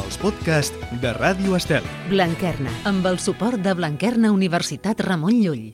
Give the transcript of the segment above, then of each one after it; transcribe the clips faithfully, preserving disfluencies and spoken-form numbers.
els podcasts de Ràdio Estel. Blanquerna, amb el suport de Blanquerna Universitat Ramon Llull.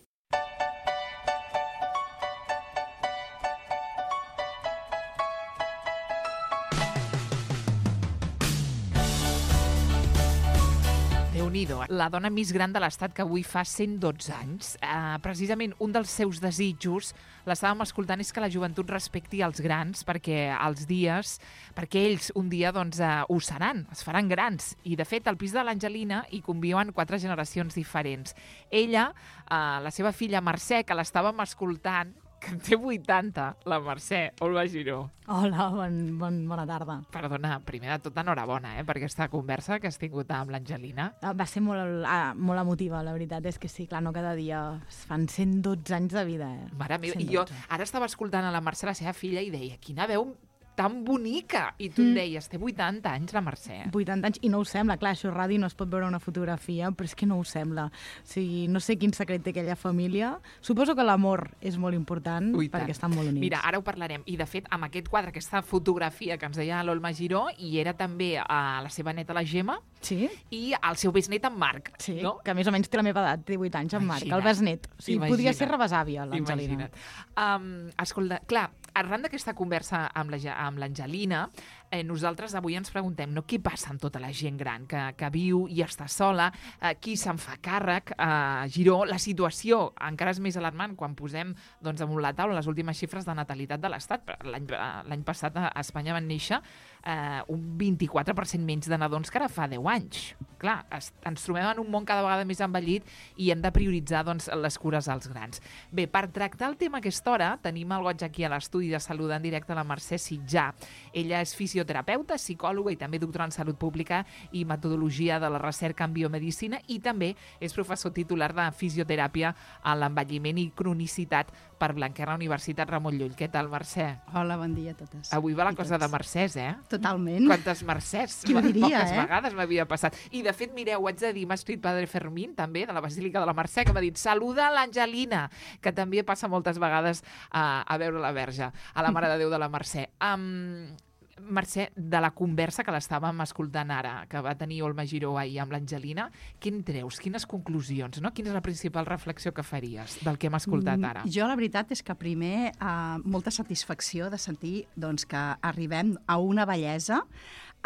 Déu-n'hi-do, la dona més gran de l'Estat que avui fa cent dotze anys. Uh, precisament un dels seus desitjos, l'estàvem escoltant, és que la joventut respecti els grans perquè els dies, perquè ells un dia doncs, uh, ho seran, es faran grans. I de fet al pis de l'Angelina hi conviuen quatre generacions diferents. Ella, uh, la seva filla Mercè, que l'estàvem escoltant, que en té vuitanta, la Mercè, Olga Giró. Hola, bon, bon, bona tarda. Perdona, primer de tot enhorabona eh, per aquesta conversa que has tingut amb l'Angelina. Va ser molt, ah, molt emotiva, la veritat és que sí, clar, no cada dia es fan cent dotze anys de vida. Eh? Mare meva, i jo ara estava escoltant a la Mercè, la seva filla, i deia, quina veu tan bonica! I tu mm. em deies, té vuitanta anys la Mercè. vuitanta anys, i no ho sembla, clar, això ràdio no es pot veure una fotografia, però és que no ho sembla. O sigui, no sé quin secret té aquella família. Suposo que l'amor és molt important, Ui, perquè estan molt units. Mira, ara ho parlarem. I de fet, amb aquest quadre, aquesta fotografia que ens deia l'Olma Giró, hi era també a la seva neta, la Gemma, sí? I el seu besnet, en Marc. Sí, no? que a més o menys té la meva edat, té divuit anys, en Marc, el besnet. O sigui, Imagina't. Podria ser rebesàvia, l'Angelina. Um, escolta, clar, arran d'aquesta conversa amb la, amb l'Angelina, eh, nosaltres avui ens preguntem no, què passa amb tota la gent gran que, que viu i està sola, eh, qui se'n fa càrrec, eh, Giró, la situació encara és més alarmant quan posem doncs, damunt la taula les últimes xifres de natalitat de l'Estat. L'any passat a Espanya van néixer eh, un vint-i-quatre per cent menys de nadons que ara fa deu anys. Clar, es, ens trobem en un món cada vegada més envellit i hem de prioritzar doncs, les cures als grans. Bé, per tractar el tema a aquesta hora, tenim el goig aquí a l'estudi de salut en directe la Mercè Sitjà. Ella és fisioterapeuta, psicòloga i també doctora en salut pública i metodologia de la recerca en biomedicina i també és professor titular de fisioteràpia a l'envelliment i cronicitat per Blanquerna Universitat Ramon Llull. Què tal, Mercè? Hola, bon dia a totes. Avui va la cosa de Mercès, eh? Totalment. Quantes Mercès? Qui ho diria, Poques eh? vegades m'havia passat. I, de fet, mireu, ho haig de dir, m'ha escrit Padre Fermín, també, de la Basílica de la Mercè, que m'ha dit, saluda l'Angelina, que també passa moltes vegades a, a veure la Verge, a la Mare de Déu de la Mercè. Um, Mercè, de la conversa que l'estàvem escoltant ara, que va tenir Olma Giró ahir amb l'Angelina, què en treus? Quines conclusions? No? Quina és la principal reflexió que faries del que hem escoltat ara? Jo la veritat és que primer eh, molta satisfacció de sentir doncs, que arribem a una bellesa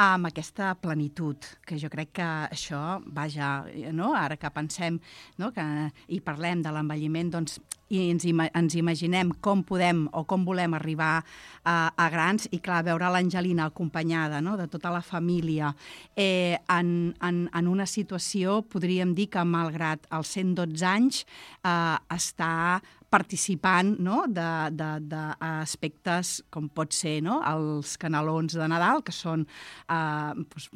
amb aquesta plenitud, que jo crec que això, vaja, no? Ara que pensem no? que, i parlem de l'envelliment, doncs, i ens, ima ens imaginem com podem o com volem arribar a, a grans, i clar, veure l'Angelina acompanyada no? de tota la família eh, en, en, en una situació, podríem dir que malgrat els cent dotze anys eh, està participant no? d'aspectes com pot ser no? els canelons de Nadal, que són, eh, doncs,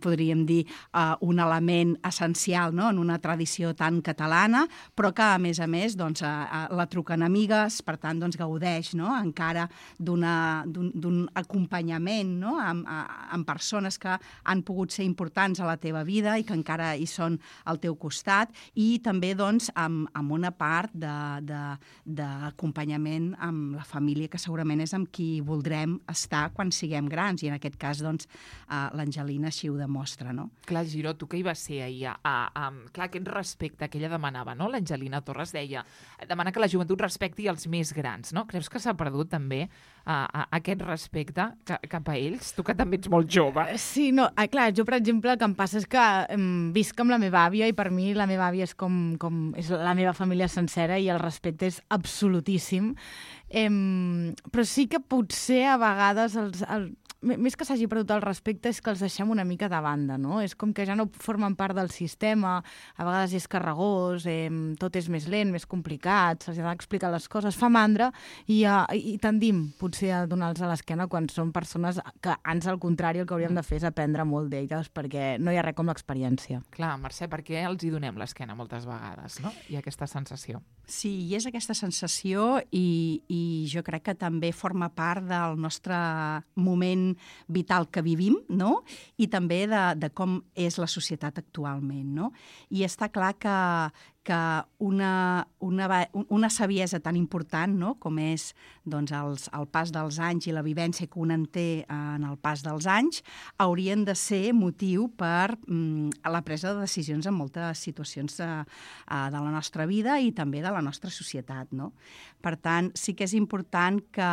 podríem dir, eh, un element essencial no? en una tradició tan catalana, però que, a més a més, doncs, eh, la truquen amigues, per tant, doncs, gaudeix no? encara d'un acompanyament no? amb, amb persones que han pogut ser importants a la teva vida i que encara hi són al teu costat, i també doncs, amb, amb una part de, de d'acompanyament amb la família, que segurament és amb qui voldrem estar quan siguem grans, i en aquest cas doncs, uh, l'Angelina així ho demostra. No? Clar, Giró, tu que hi vas ser ahir, a, a, a, clar, aquest respecte que ella demanava, no? L'Angelina Torres deia, demana que la joventut respecti els més grans, no? Creus que s'ha perdut també uh, uh, aquest respecte ca cap a ells? Tu que també ets molt jove. Sí, no, ah, clar, jo per exemple el que em passa és que um, visc amb la meva àvia i per mi la meva àvia és com, com és la meva família sencera i el respecte és absolutíssim, eh, però sí que potser a vegades els, el, més que s'hagi perdut el respecte és que els deixem una mica de banda, no? És com que ja no formen part del sistema, a vegades és carregós, eh, tot és més lent, més complicat, se'ls ha d'explicar les coses, fa mandra i, uh, i tendim potser a donar-los a l'esquena quan són persones que, ans al contrari, el que hauríem de fer és aprendre molt d'elles, perquè no hi ha res com l'experiència. Clar, Mercè, per què els hi donem l'esquena moltes vegades, no? Hi ha aquesta sensació. Sí, i és aquesta sensació i, i jo crec que també forma part del nostre moment vital que vivim, no? I també de, de com és la societat actualment, no? I està clar que, que una, una, una saviesa tan important, no?, com és doncs, els, el pas dels anys i la vivència que un en té en el pas dels anys, haurien de ser motiu per mm, a la presa de decisions en moltes situacions de, de la nostra vida i també de la nostra societat, no? Per tant, sí que és important que,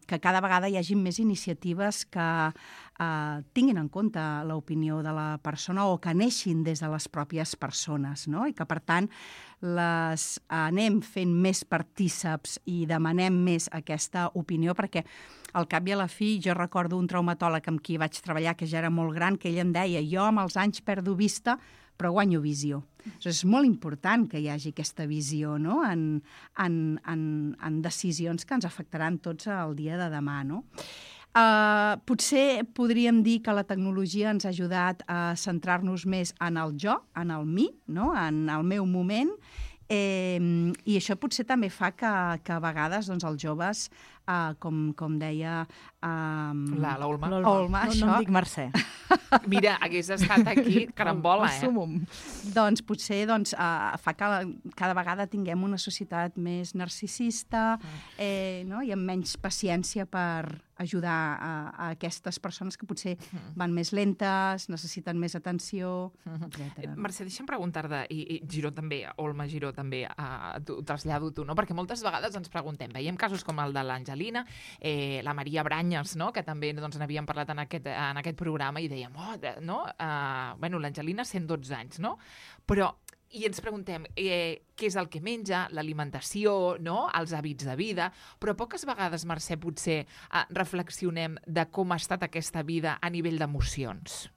que cada vegada hi hagi més iniciatives que eh, tinguin en compte l'opinió de la persona o que neixin des de les pròpies persones, no? I que, per tant, les anem fent més partíceps i demanem més aquesta opinió, perquè al cap i a la fi jo recordo un traumatòleg amb qui vaig treballar, que ja era molt gran, que ell em deia: jo amb els anys perdo vista, però guanyo visió. És molt important que hi hagi aquesta visió, no?, en, en, en, en decisions que ens afectaran tots el dia de demà, no? Uh, potser podríem dir que la tecnologia ens ha ajudat a centrar-nos més en el jo, en el mi, no?, en el meu moment, eh, i això potser també fa que, que a vegades doncs, els joves, uh, com, com deia um, La, la Olma. Olma, no, això, no em dic Mercè. Mira, hagués estat aquí carambola, eh? Assumum. doncs potser doncs, uh, fa que la, cada vegada tinguem una societat més narcisista, eh, no?, i amb menys paciència per ajudar a, a aquestes persones que potser van més lentes, necessiten més atenció, etcètera. Mercè, deixa'm preguntar-te, i, i Giró també, Olma Giró també, uh, ho trasllado tu, no? Perquè moltes vegades ens preguntem, veiem casos com el de l'Angelina, eh, la Maria Branyes, no?, que també doncs, n'havíem parlat en aquest, en aquest programa, i dèiem, oh, de, no? Uh, bueno, l'Angelina, cent dotze anys, no? Però i ens preguntem eh, què és el que menja, l'alimentació, no?, els hàbits de vida, però poques vegades, Mercè, potser eh, reflexionem de com ha estat aquesta vida a nivell d'emocions.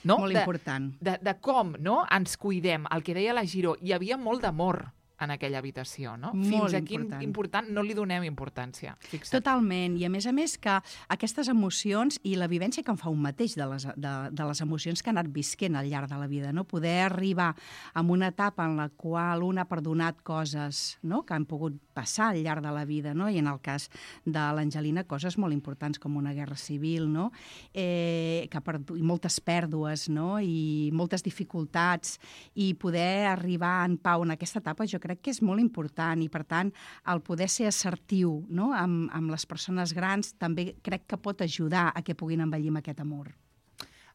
No? Molt de, important. De, de com, no?, ens cuidem. El que deia la Giró, hi havia molt d'amor en aquella habitació, no? Molt Fins a quin important. important no li donem importància. Fixa't. Totalment, i a més a més que aquestes emocions i la vivència que en fa un mateix de les, de, de les emocions que ha anat visquent al llarg de la vida, no? Poder arribar a una etapa en la qual un ha perdonat coses, no?, que han pogut passar al llarg de la vida, no?, i en el cas de l'Angelina coses molt importants com una guerra civil, no?, eh, que ha perdut, i moltes pèrdues, no?, i moltes dificultats, i poder arribar en pau en aquesta etapa jo crec que és molt important, i per tant el poder ser assertiu, no?, amb, amb les persones grans també crec que pot ajudar a que puguin envellir amb aquest amor.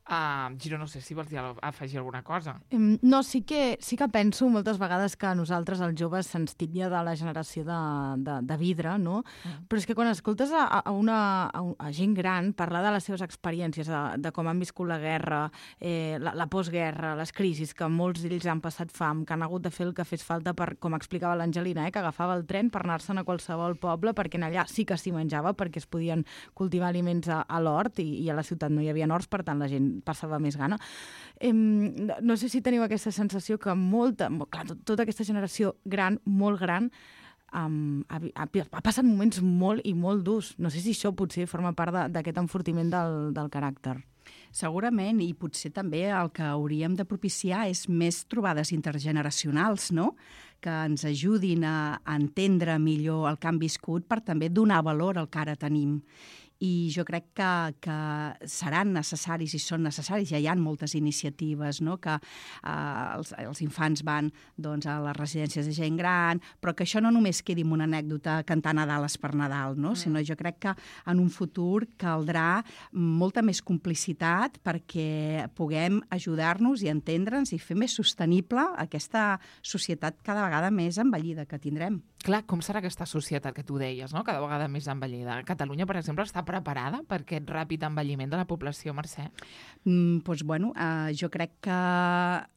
Uh, Giró, no sé si vols dir, afegir alguna cosa. No, sí que, sí que penso moltes vegades que a nosaltres, els joves, se'ns titlla de la generació de, de, de vidre, no? Mm. Però és que quan escoltes a, a, una, a, a gent gran parlar de les seves experiències, de, de com han viscut la guerra, eh, la, la postguerra, les crisis, que molts d'ells han passat fam, que han hagut de fer el que fes falta per, com explicava l'Angelina, eh, que agafava el tren per anar-se'n a qualsevol poble, perquè en allà sí que s'hi menjava, perquè es podien cultivar aliments a, a l'hort, i, i a la ciutat no hi havia horts, per tant la gent passava més gana. Eh, no sé si teniu aquesta sensació que molta, clar, tot, tota aquesta generació gran, molt gran, um, ha, ha, ha passat moments molt i molt durs. No sé si això potser forma part d'aquest enfortiment del, del caràcter. Segurament, i potser també el que hauríem de propiciar és més trobades intergeneracionals, no?, que ens ajudin a, a entendre millor el que han viscut per també donar valor al que ara tenim. I jo crec que, que seran necessaris i són necessaris, ja hi ha moltes iniciatives, no?, que eh, els, els infants van doncs, a les residències de gent gran, però que això no només quedi en una anècdota cantar Nadales per Nadal, no?, mm. sinó jo crec que en un futur caldrà molta més complicitat perquè puguem ajudar-nos i entendre'ns i fer més sostenible aquesta societat cada vegada més envellida que tindrem. Clar, com serà aquesta societat que tu deies, no?, cada vegada més envellida? Catalunya, per exemple, està preparada per aquest ràpid envelliment de la població, Mercè? Mm, doncs, bueno, eh, jo crec que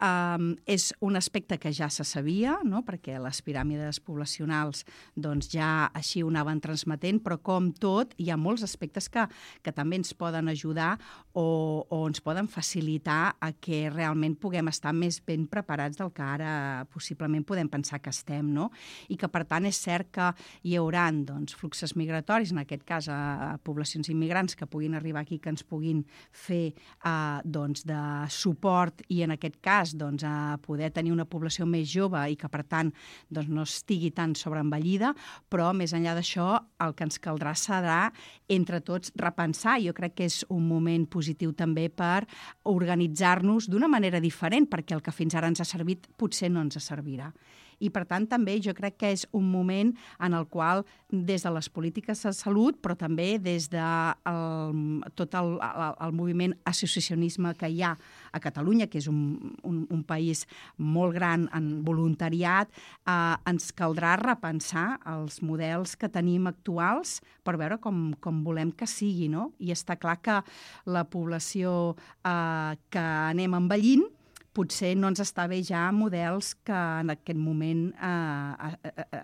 eh, és un aspecte que ja se sabia, no?, perquè les piràmides poblacionals doncs, ja així ho anaven transmetent, però com tot, hi ha molts aspectes que, que també ens poden ajudar o, o ens poden facilitar a que realment puguem estar més ben preparats del que ara possiblement podem pensar que estem, no? I que, per tant, és cert que hi haurà doncs, fluxes migratoris, en aquest cas a, a poblacions immigrants que puguin arribar aquí, que ens puguin fer eh, doncs, de suport i en aquest cas doncs, a poder tenir una població més jove i que per tant doncs, no estigui tan sobreenvellida, però més enllà d'això el que ens caldrà serà entre tots repensar. Jo crec que és un moment positiu també per organitzar-nos d'una manera diferent, perquè el que fins ara ens ha servit potser no ens servirà. I, per tant, també jo crec que és un moment en el qual, des de les polítiques de salut, però també des de el, tot el, el, el moviment associacionisme que hi ha a Catalunya, que és un, un, un país molt gran en voluntariat, eh, ens caldrà repensar els models que tenim actuals per veure com, com volem que sigui, no? I està clar que la població eh, que anem envellint potser no ens està bé ja models que en aquest moment eh,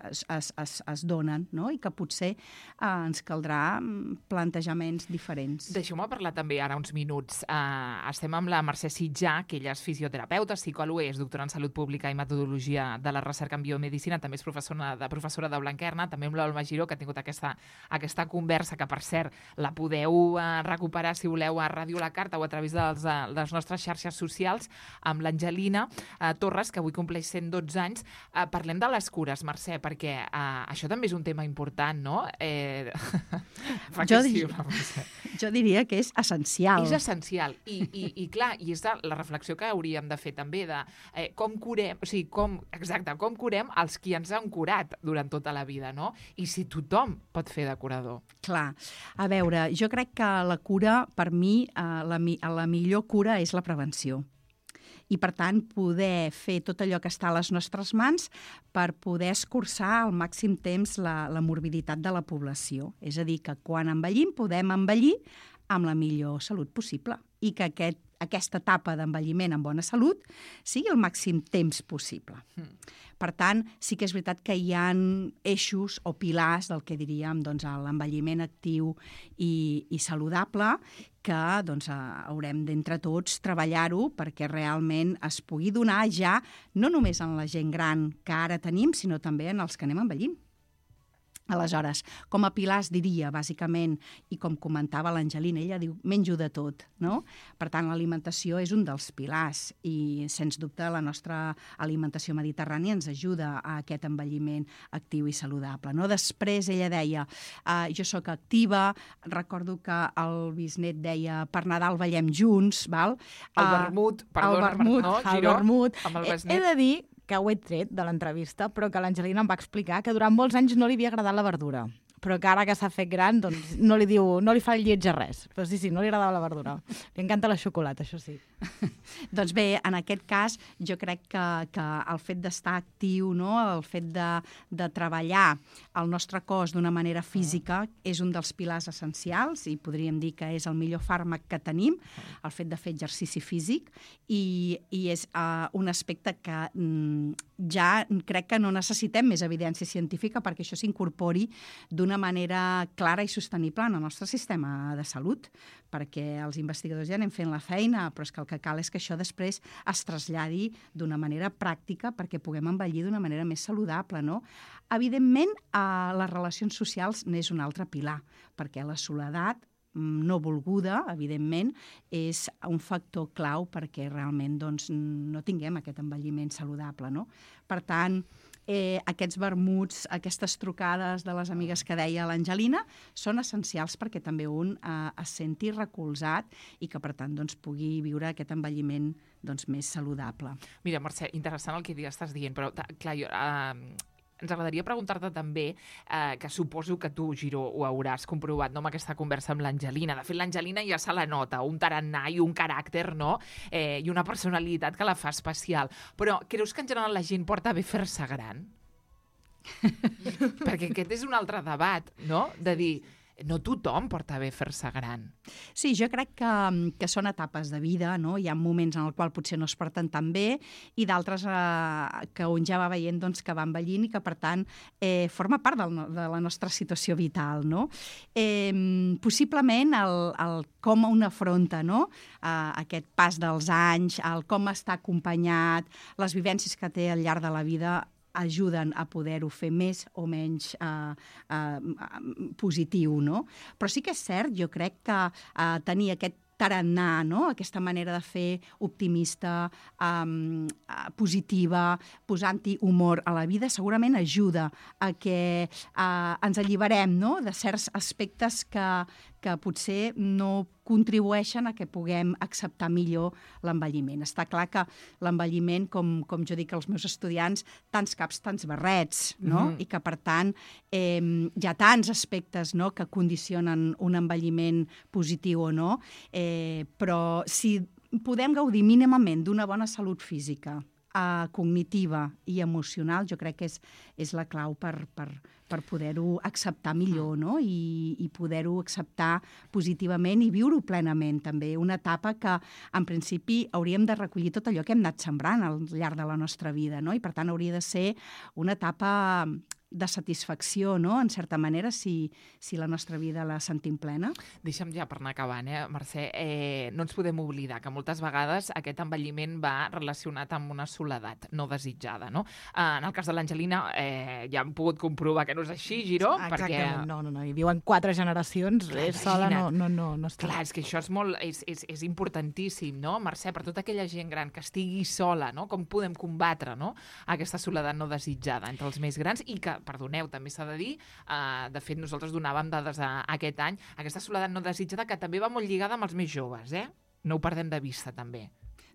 es, es, es, es donen, no? I que potser eh, ens caldrà plantejaments diferents. Deixeu-me parlar també ara uns minuts. Uh, estem amb la Mercè Sitjà, que ella és fisioterapeuta, psicòloga, és doctora en Salut Pública i Metodologia de la Recerca en Biomedicina, també és professora de, professora de Blanquerna, també amb l'Olma Giró, que ha tingut aquesta, aquesta conversa, que per cert la podeu uh, recuperar si voleu a Ràdio La Carta o a través dels, uh, de les nostres xarxes socials, amb l'Angelina eh, Torres, que avui compleix cent dotze anys. Eh, parlem de les cures, Mercè, perquè eh, això també és un tema important, no? Eh... jo, dir... sí, jo diria que és essencial. És essencial. I, i, i clar, i és de la reflexió que hauríem de fer també de eh, com curem, o sigui, com, exacte, com curem els qui ens han curat durant tota la vida, no? I si tothom pot fer de curador. Clar. A veure, jo crec que la cura, per mi, eh, la, la millor cura és la prevenció. I, per tant, poder fer tot allò que està a les nostres mans per poder escurçar al màxim temps la, la morbiditat de la població. És a dir, que quan envellim podem envellir amb la millor salut possible i que aquest, aquesta etapa d'envelliment amb bona salut sigui el màxim temps possible. Mm. Per tant, sí que és veritat que hi ha eixos o pilars del que diríem doncs, l'envelliment actiu i, i saludable que doncs, haurem d'entre tots treballar-ho perquè realment es pugui donar ja no només en la gent gran que ara tenim, sinó també en els que anem envellint. Aleshores, com a pilars diria, bàsicament, i com comentava l'Angelina, ella diu, menjo de tot, no? Per tant, l'alimentació és un dels pilars i, sens dubte, la nostra alimentació mediterrània ens ajuda a aquest envelliment actiu i saludable, no? Després, ella deia, eh, jo sóc activa, recordo que el bisnet deia, per Nadal ballem junts, val? El vermut, perdona, el vermut, no, el Giró, vermut. amb el besnet. He de dir que ho he tret de l'entrevista, però que l'Angelina em va explicar que durant molts anys no li havia agradat la verdura, però que ara que s'ha fet gran doncs no li diu, no li fa el lleig a res. Però sí, sí, no li agradava la verdura. Li encanta la xocolata, això sí. Doncs bé, en aquest cas, jo crec que, que el fet d'estar actiu, no? El fet de, de treballar el nostre cos d'una manera física és un dels pilars essencials i podríem dir que és el millor fàrmac que tenim, el fet de fer exercici físic, i, i és uh, un aspecte que mm, ja crec que no necessitem més evidència científica perquè això s'incorpori d'una manera clara i sostenible en el nostre sistema de salut, perquè els investigadors ja anem fent la feina, però és que el que cal és que això després es traslladi d'una manera pràctica perquè puguem envellir d'una manera més saludable, no? Evidentment, eh, les relacions socials n'és un altre pilar, perquè la soledat no volguda, evidentment, és un factor clau perquè realment doncs, no tinguem aquest envelliment saludable, no? Per tant, eh, aquests vermuts, aquestes trucades de les amigues que deia l'Angelina, són essencials perquè també un eh, es senti recolzat i que, per tant, doncs, pugui viure aquest envelliment doncs, més saludable. Mira, Mercè, interessant el que estàs dient, però, clar, jo... Eh... Ens agradaria preguntar-te també, eh, que suposo que tu, Giró, ho hauràs comprovat, no?, amb aquesta conversa amb l'Angelina. De fet, l'Angelina ja se la nota, un tarannà i un caràcter, no?, eh, i una personalitat que la fa especial. Però creus que en general la gent porta bé fer-se gran? Perquè aquest és un altre debat, no?, de dir... No tothom porta bé fer-se gran. Sí, jo crec que, que són etapes de vida, no? Hi ha moments en el qual potser no es porten tan bé i d'altres eh, que un ja va veient doncs, que va envellint i que, per tant, eh, forma part del, de la nostra situació vital, no? Eh, possiblement el, el com un afronta, no? eh, aquest pas dels anys, el com està acompanyat, les vivències que té al llarg de la vida ajuden a poder-ho fer més o menys eh, eh, positiu, no? Però sí que és cert, jo crec que eh, tenir aquest tarannà, no? Aquesta manera de fer optimista, um, positiva, posant-hi humor a la vida, segurament ajuda a que uh, ens alliberem, no? De certs aspectes que, que potser no contribueixen a que puguem acceptar millor l'envelliment. Està clar que l'envelliment, com, com jo dic als meus estudiants, tants caps, tants barrets, no? Mm-hmm. I que, per tant, eh, hi ha tants aspectes, no?, que condicionen un envelliment positiu o no, eh, però si podem gaudir mínimament d'una bona salut física, eh, cognitiva i emocional, jo crec que és, és la clau per, per, per poder-ho acceptar millor, no? I, i poder-ho acceptar positivament i viure-ho plenament, també. Una etapa que, en principi, hauríem de recollir tot allò que hem anat sembrant al llarg de la nostra vida, no? I, per tant, hauria de ser una etapa de satisfacció, no?, en certa manera, si, si la nostra vida la sentim plena. Deixa'm ja per anar acabant, eh, Mercè, eh, no ens podem oblidar que moltes vegades aquest envelliment va relacionat amb una soledat no desitjada, no? Eh, en el cas de l'Angelina eh, ja hem pogut comprovar que no és així, Giró, Exactament, perquè... no, no, no, hi viuen quatre generacions, Clar, és sola, no, no, no, no està. Clar, és que això és, molt, és, és, és importantíssim, no, Mercè, per tota aquella gent gran que estigui sola, no? Com podem combatre, no?, aquesta soledat no desitjada entre els més grans i que, perdoneu, també s'ha de dir, uh, de fet nosaltres donàvem dades a, a aquest any, aquesta soledat no desitjada que també va molt lligada amb els més joves, eh? No ho perdem de vista, també.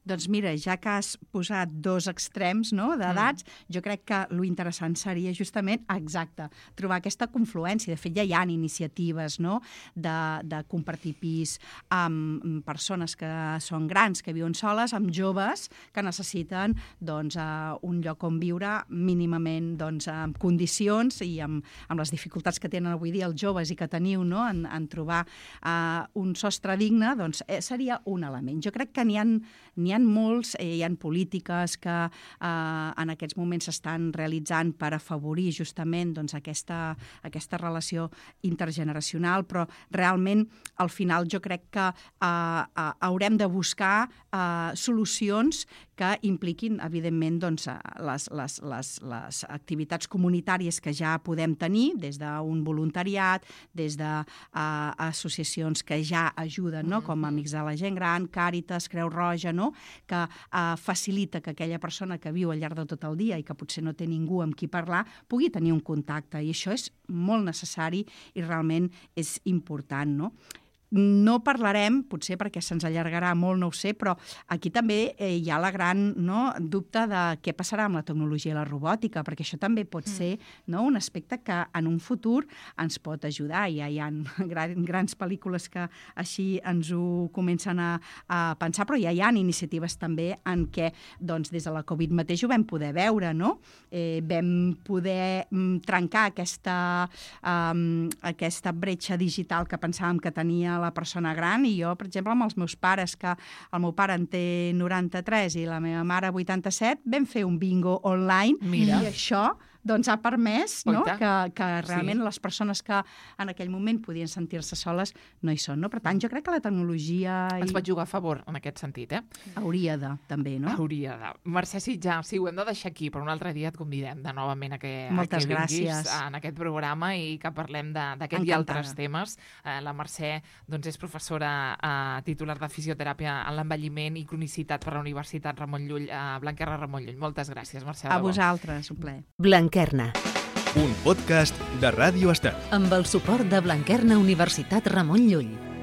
Doncs mira, ja que has posat dos extrems, no?, d'edats, mm. jo crec que lo interessant seria justament, exacte, trobar aquesta confluència. De fet, ja hi ha iniciatives, no?, de, de compartir pis amb persones que són grans, que viuen soles, amb joves que necessiten, doncs, uh, un lloc on viure mínimament, doncs, amb condicions i amb, amb les dificultats que tenen avui dia els joves i que teniu, no?, en, en trobar uh, un sostre digne, doncs, eh, seria un element. Jo crec que n'hi ha, n'hi ha molts, eh, hi ha polítiques que eh, en aquests moments s'estan realitzant per afavorir justament, doncs, aquesta, aquesta relació intergeneracional, però realment al final jo crec que eh, eh, haurem de buscar eh, solucions que impliquin, evidentment, doncs, les, les, les, les activitats comunitàries que ja podem tenir, des d'un voluntariat, des d'associacions que ja ajuden, no?, com Amics de la Gent Gran, Càritas, Creu Roja, no?, que eh, facilita que aquella persona que viu al llarg de tot el dia i que potser no té ningú amb qui parlar pugui tenir un contacte. I això és molt necessari i realment és important, no? No parlarem, potser perquè se'ns allargarà molt, no ho sé, però aquí també eh, hi ha la gran, no, dubte de què passarà amb la tecnologia i la robòtica, perquè això també pot ser, no, un aspecte que en un futur ens pot ajudar. Ja hi ha gran, grans pel·lícules que així ens ho comencen a, a pensar, però ja hi ha iniciatives també en què, doncs, des de la Covid mateix ho vam poder veure, no? Eh, vam poder mm, trencar aquesta, um, aquesta bretxa digital que pensàvem que tenia la persona gran, i jo, per exemple, amb els meus pares, que el meu pare en té noranta-tres i la meva mare vuitanta-set, vam fer un bingo online. Mira. I això doncs ha permès, no?, que, que realment sí. les persones que en aquell moment podien sentir-se soles no hi són, no? Per tant, jo crec que la tecnologia... Ens pot jugar a favor en aquest sentit, eh? Hauria de, també, no? Hauria de. Mercè Sitjar, sí, ho hem de deixar aquí, però un altre dia et convidem de novament a que, a que vinguis en aquest programa i que parlem d'aquest i altres temes. Eh, la Mercè, doncs, és professora eh, titular de fisioteràpia en l'envelliment i cronicitat per la Universitat Ramon Llull, eh, Blanquerna Ramon Llull. Moltes gràcies, Mercè. A vosaltres, un plaer. Blanquerna. Un podcast de Ràdio Estel. Amb el suport de Blanquerna Universitat Ramon Llull.